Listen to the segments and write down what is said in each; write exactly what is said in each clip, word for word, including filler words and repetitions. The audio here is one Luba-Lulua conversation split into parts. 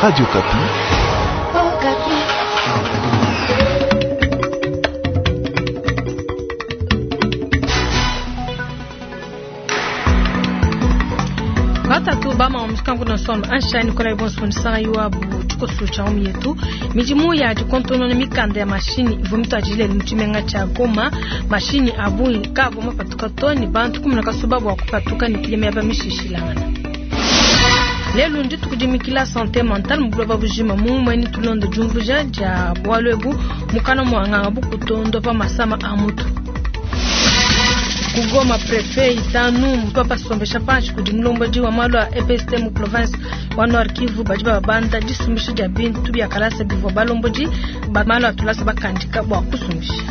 Radio Okapi. Batatu bama omusikangu na sono anshani kola ibonso nisanga yuabu tshikoso tsha omu yetu midimu ya dikontonona mikanda ya mashini ivua mituadijile mu tshimenga tshia Goma. Mashini a bungi kaavua mapatuka to ne bantu kumi na kasuba bua kupatuka ne kuya miaba mishishilangana. Lelu ndituku dimikila santé mentale mu buloba bujima mumue ni tulonda diumvuija dia bualu ebu mukana mua nganga bukutondo pa masama a mutu. Kugoma prefet itanu mpapa sombesha panshi kudi mulombodi wa malu a E P S T mu province wa Nord Kivu badi babanda disumbisha dia bintu bia kalasa bivua balombodi ba malu a tulasa bakandika bua kusumbisha.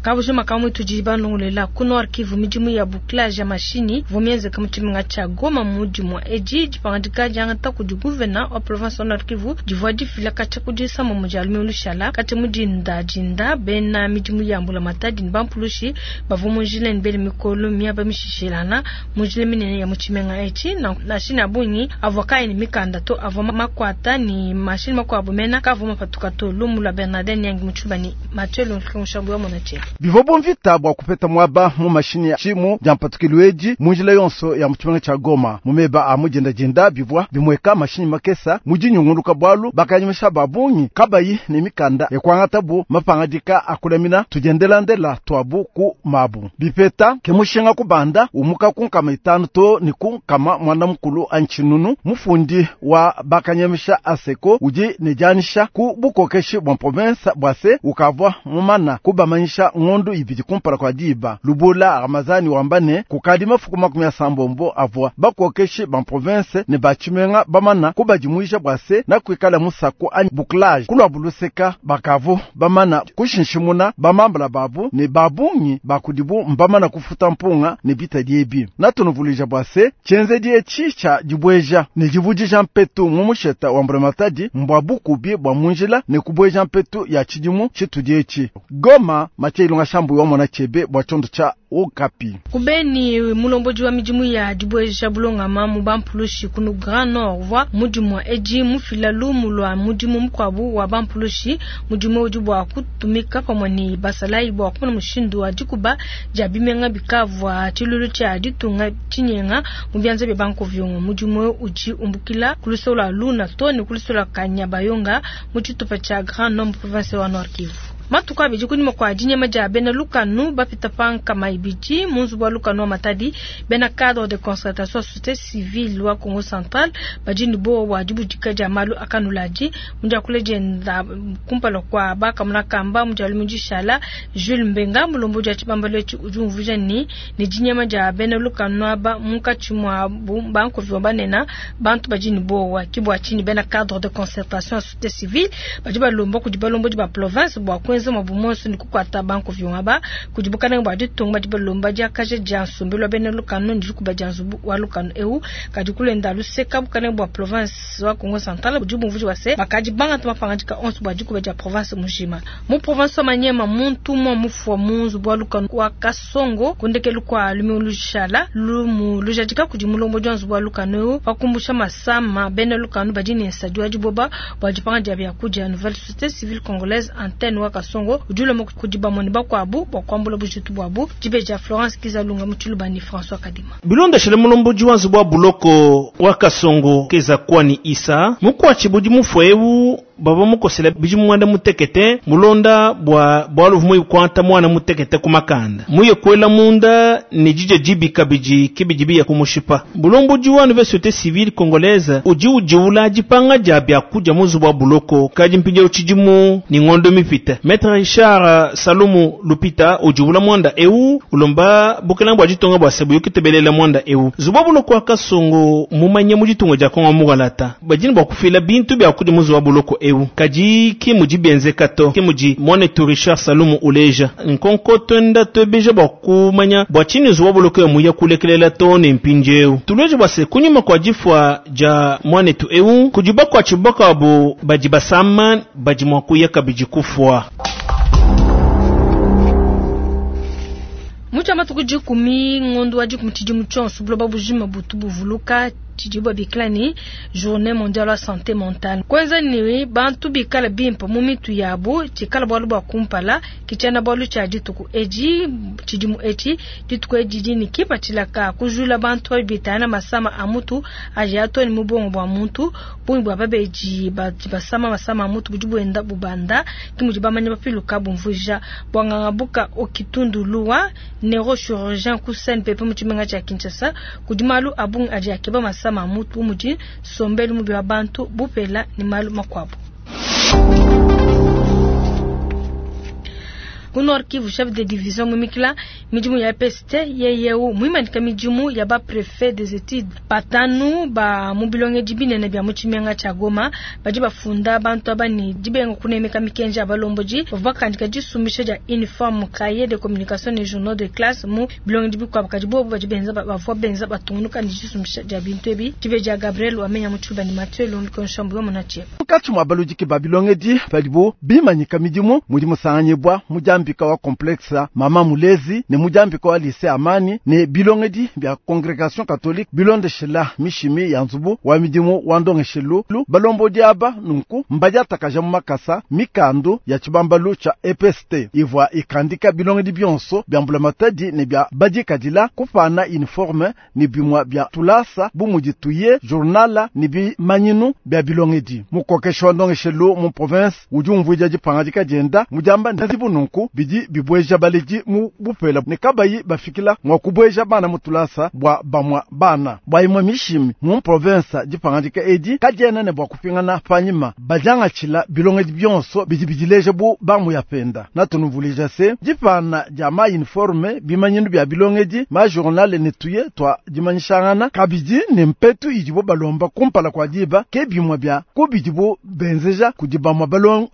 Kabujima kamwe tudi banongolela ku Nord Kivu midimu ya bouclage ya mashini vomienze kama tshimenga tsha Goma mudimu edi dipangadika diangata kudi gouverneur wa province wa Nord Kivu divua difila katshia kudi sama mu dia lumingu lushala katshia mu dinda dinda bena midimu ya mbula matadi ne bampulushi bavua mu njila ne bele mikolo miaba mishishilana mu njila minene ya mu tshimenga etshi na mashini a bungi avua kayi ne mikanda to avua makuata ne mashini makuabu mena kavua mapatuka to lumu lua Bernardin Nyangi mu Tshibani Mathieu Lunkushambu wa Monatier. Bivua mvita bua kupeta mwaba mu mashini ya tshimu dia mpatukilu edi mu njila yonso ya mu tshimenga tsha Goma. Mu meba a mudindadinda bivua bimweka mashini makesa mu dinyunguluka bualu bakanyemesha ba bungi kabayi ne mikanda ya kuangata bu mapangadika a kulamina tudiendelandela tuabu ku mabu. Bipeta ke mushinga kubanda umuka ku nkama itanu to ne ku nkama mwana mukulu antsinunu mufundi wa bakanyemesha aseko udi ne dianyisha ku bukokeshi bua province bua se ukavua mumana kubamanyisha ngondo ibidi kumpala kwa diba. Lubula Ramazani wambane kukadi mafuku makumi asambombo avua bakokeshi ba province ne batshimenga bamana kubadimuija bua se na kuikala musako anyi bouclage kulua buluseka bakavu bamana kushinshimuna bamambala babu ne babungi bakudibu mbamana kufuta mpunga ne bitadi ebi. Natunuvuluija bua se tshienzedi etshi tsha dibueja ne divudija mpetu mu musheta wa mbulamatadi mbua bukubi bua munjila ne kubueja mpetu ya tshidimu tshitudi etshi. Goma Mathieu Ilunga Shambu wa mona chebe bua tshiondo tsha Okapi. Kubeni mulombodi wa midimu ya dibueja bulongama mu bampulushi kunu Grand Nord wa mudimu edi mufila lumu lua mudimu mukuabu wa bampulushi mudimu udi bua kutumika pamue ne basalayi bua kumona mushindu wa dikuba dia bimenga bikavua tshilulu tshia ditunga tshinyenga mu bianza bia bankovyongo. Mudimu udi umbukila ku lusolo lua Luna to ne ku lusolo lua Kanyabayonga mu tshitupa tshia Grand Nord province wa Nord Kivu. Matuku abidi kunyima kua dinyema dia bena lukanu bapita pa nkama ibidi mu nzubu wa lukanu wa Matadi bena cadre de concertation société civile wa Congo Central badi ne bowa bua dibudika dia malu akanuladi mu diakula dienda kumpala kua bakamuna kamba mu dia lumingu dishala Jules Mbenga mulombodi wa tshibambalu etshi udi umvuija ne ne dinyema dia bena lukanu aba munkatshi mua bankovi banena bantu badi ne bowa ki bua tshinyi bena cadre de concertation société civile badi balomba kudi balombodi ba province bua kuenza mabu monso ni kukwata banko vyongaba kudi bukalenge bua ditunga badi balomba diakaja dia nsombelu wa bena lukanu ndi kuba dia nzubu wa lukanu eu kadi kulenda luseka bukalenge bua province wa Congo Central budi bumvuija bua se bakadi bangata mapangadika onso bua dikuba dia province mujima. Mu province wa Maniema muntu umue mufua mu nzubu wa lukanu wa Kasongo kundekelu kua lumingu lushala lumu lujadika kudi mulombodi wa nzubu wa lukanu eu pakumbusha masama bena lukanu badi ne nsadi wa diboba bua dipanga dia biakudia. Nouvelle société civile congolaise antenne wa Kasongo udi ulomba kudi bamone bakuabu bua kuambula bujitu buabu. Dibeja Florence Kizalunga mu Tshilubani François Kadima. Bilondeshele mulombodi wa nzubu wa buloko wa Kasongo keza kwani Isa mukwatshi budi mufue eu baba mukosela bidi mwanda mutekete mulonda bwa bwalu vumwe kwanta mwana mutekete kumakanda muye kwela munda ne jije jibi kabiji kibiji biya kumushipa. Bulombodi wa nouvelle société civile congolaise uji ujiula jipanga ja bya kuja muzu wa buloko kaji mpinja uchijimu ni ngondo mipita. Maître Richard Salumu Lupita ujiula mwanda eu ulomba bukelanga bwa jitonga bwa sebu yokitebelela mwanda eu zuba buloko wa Kasongo mumanye mu jitonga ja Kongo mugalata bajini bwa kufila bintu bya kuja muzu wa buloko eu kaji ki muji benze kato ki muji mwane tu Richard Salumu uleja nkonko twenda twebeja bwa kumanya bwa chini zuwa buloko ya muya kulekelela to ne mpinjeu tuleje bwa se kunyuma kwa jifwa ja mwane tu eu kujiba kwa chibaka bu baji basama baji mwakuya kabiji kufwa. Mu matuku dikumi ngondo wa dikumi tshidimu tshionso buloba bujima butu buvuluka tshidibo babikila ne journée mondiale wa santé mentale. Kwenza ni bantu bikala bimpe mu mitu yabo tshikala bwalu bwa kumpala kichana bwalu tshia dituku edi tshidimu etshi dituku edi dini kipatshila kujula bantu bitana masama a mutu aji atoni mu bongo bwa muntu bungi bwa babeji basama masama a mutu budi bwenda bubanda kimudi bamanya bapiluka bumvuja bwanganga buka okitundu luwa neurochirurgien ku C N P P mu tshimenga tshia Kinshasa kudi malu abungi adi akeba masama a mutu mudi sombelu mubi wa bantu bupela ni malu makuabu. Ku Nord Kivu, chef de division mumikila midimu ya P S T yeyeu muimanika midimu ya ba préfet des études batanu ba mu bilongedi binene bya mu tshimenga tshia Goma badi bafunda bantu aba ni dibenga kunemeka mikenji ya balomboji bavua bakandika disumbisha dia uniforme, cahier de communication ne journaux de classe mu bilongedi bikuabu kadi bobu badi benza bavua benza batungunuka ni disumbisha dia bintu ebi dibe dia Gabriel wamenya mu tshiluba ni Mathieu Londiko Nshambu yo munatie. Mukatshi mua baludiki ba bilongedi padibo bimanyika midimu mudi musanganyibwa mujambika wa complexe Mama Mulezi ne mujambika wa lycée Amani ne bilongedi bya congrégation catholique bilondeshela mishimi ya nzubu wa midimu wa ndongeshelu balombodi aba nunku mbadiatakaja mu makasa mikandu ya tshibambalu tshia E P S T ivua ikandika bilongedi bionso bya mbulamatadi ne bya badikadila kupana uniforme ne bimwa bya tulasa bu mudi tuye journala ne bimanyinu bya bilongedi. Mukokesha wa ndongeshelu mu province udi umvuija dipangadika dienda mujamba nzibu nunku bidi bibweja baledi mu bupela ne kabayi bafikila mwa kubweja bana mu tulasa bwa bamwa bana bwa imwe mishimi mu province. Dipangadika edi kadiena ne bwa kupingana panyima badiangatshila bilongedi bionso bidi bidileja bu bamu ya penda natunuvulija se dipana dia ma uniforme, bimanyinu bya bilongedi, ma journal ne tuye twa dimanyishangana kabidi ne mpetu idibo balomba kumpala kwa diba ke bimwe bya kubidibo benzeja kudi bamwa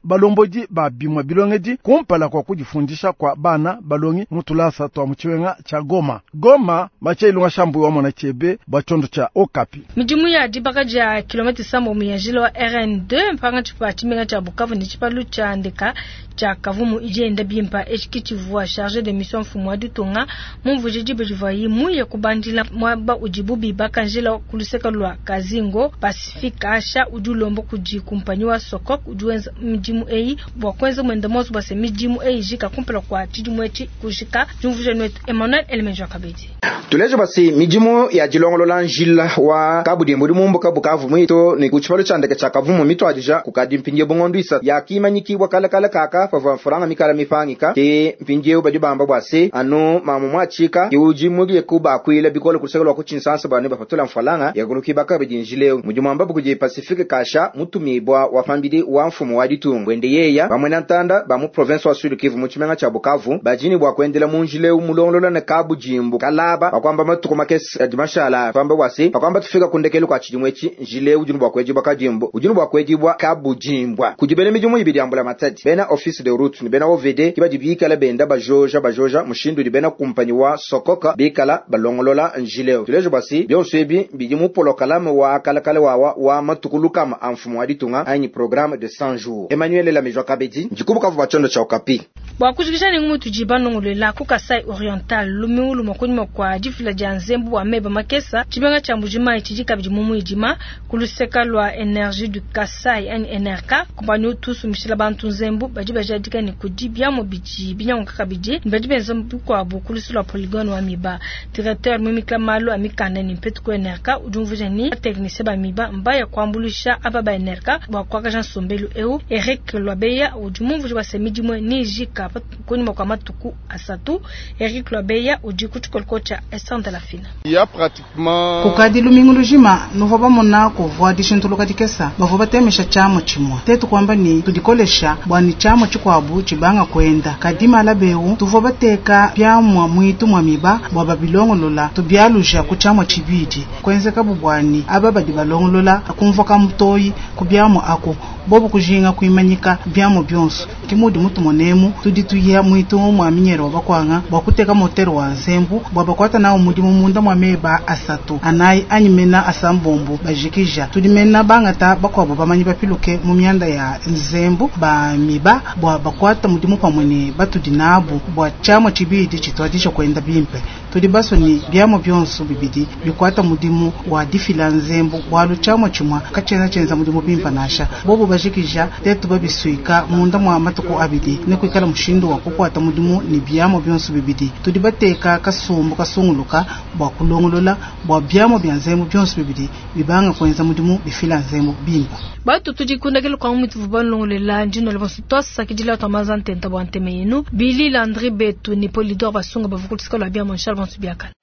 balombodi ba bimwe bilongedi kumpala kwa kudifundisha kwa bana balongi mu tulasa twa mu tshiwenga tshia Goma. Goma, Mache Ilunga Shambu wa mwana chebe bwa tshondo tshia Okapi. Midimu ya dibaka dia kilomita sambo mu ya njila wa R N deux mpanga tshipa tshimenga tshia Bukavu ne tshipalu tshia ndeka tshia Kavumu idi enda bimpa etshi tshivua chargé de mission mfumu wa ditunga mumvuije diba divuaye muye kubandila muaba udibu bibaka njila ku luseke lua Kazingo. Pacifique Asha udi ulomba kudi kumpanyi wa Sokok udi wenza midimu eyi bua kuenza mwenda monso bua se midimu eyi jika kumpala kwa tshidimu etshi kujika. Diumvuija netu Emmanuel Elemenjo Kabedi. Tuleje basi midimu ya dilongolola njila wa kabudimbu mumbuka Bukavu mwito ni ku tshipalo tshia ndeke tshia Kavumu mitwadija kukadi mpindie bungondo isa yakimanyikibwa kalakala kaka pavua mfuranga mikala mipangika te mpindiewu badi bamba bua se anu mamu mwatshika kiuji mulie kubakwila bikole kuluseke lua kutshinsansa banu bapatula mfalanga yakulukibaka badi njileu mudimu ambabu kudi Pacifique Kasha mutumibwa wa pambidi wa mfumu wa ditunga bwende yeya bamwe na ntanda ba mu province wa Sud Kivu mu tshimenga tshia Bukavu bajini bua kuendela mu njileu mulongolola ne kabujimbu kalaba bakwamba matuku makesi adi mashala pamba bwase bakwamba tufika kundekelu kwa tshidimu etshi njileu udi bua kuedibwa kadimbu udi bua kuedibwa kabujimbwa kudi bena midimu ibidi ambula matadi bena office de route ni bena O V D kibadi bikala benda bajoja bajoja mushindu udi bena kumpanyi wa Sokoka bikala balongolola njileu. Tulejo basi bionso ebi bidi mu polokalame wa kalakala wawa wa matuku lukama a mfumu wa ditunga anyi programme de cent jours. Emmanuel Lamejwa Kabedi ndikubukavu bua tshondo tshia Okapi. Bua kujikisha ne ngumu tudi banongolola ku Kasai Oriental lumingu lumue kunyima kua difila dia nzembu wa meba makesa tshimenga tshia Mbujimayi tshidi kabidi mu muidima ku luseka lua Energie du Kasai anyi N R K kumpanyi utu usumbishila bantu nzembu badi bajadika ne kudi biamu bidi binyanguka kabidi ne badi benza bikuabu ku lusu lua polygone wa Miba. Directeur mumikila malu a mikanda ne mpetu ku N R K udi umvuija ni technicien ba Miba mbaya kuambuluisha aba ba N R K bua kuakaja nsombelu eu. Eric Lwabeya udi mumvuija bua se midimu nijika kunyima kua matuku asatu. Eric Lwabeya udi ku tshikoloko tshia Esther de la Fina. Kukadi lumingu lujima nuvua bamona kuvua dishintuluka dikesa bavua batemesha tshiamu tshimue tetu kuamba ni tudikolesha bua ni tshiamu tshikuabu tshibanga kuenda kadi malabeu tuvua bateka biamua mwitu mua miba bua babilongolola tubialuja ku tshiamua tshibidi kuenzeka buani aba badi balongolola kumvua kamutoyi ku biamu aku bobu kujinga kuimanyika biamu bionso. Ki mudi mutumonemu tudi tuya mwitu mwa minyere wa bakwanga bwa kuteka motere wa nzembu bwa bakwata nawo mudimu munda mwa meba asatu anayi anyi mena asambombo bajikija tudi mena bangata bakwabo bamanyi bapiluke mu mianda ya nzembu ba miba bwa bakwata mudimu pamwe ne batudi nabu bwa tshiamua tshibidi tshituadija kwenda bimpe tudi baswe ni biamua bionso bibidi bikwata mudimu wa difila nzembu bwalu tshiamua tshimua katshiena tshienza mudimu bimpe nasha bobo bajikija tetu babisuika munda mwa matuku abidi ne kuikala mushindu wa kukwata mudimu ne biamua bionso bibidi tudi bateka kasumbu kasunguluka bwa kulongolola bwa biamua bia nzembu bionso bibidi bibanga kuenza mudimu bifila nzembu bimpe batu tudikundakile kwa mwitu vubalongolela ndino le bonso twasakidila twamaza ntenta bwa nteme yenu bili landri betu ni polidor basunga bavukutisika lwa bia monshal bonso biakala.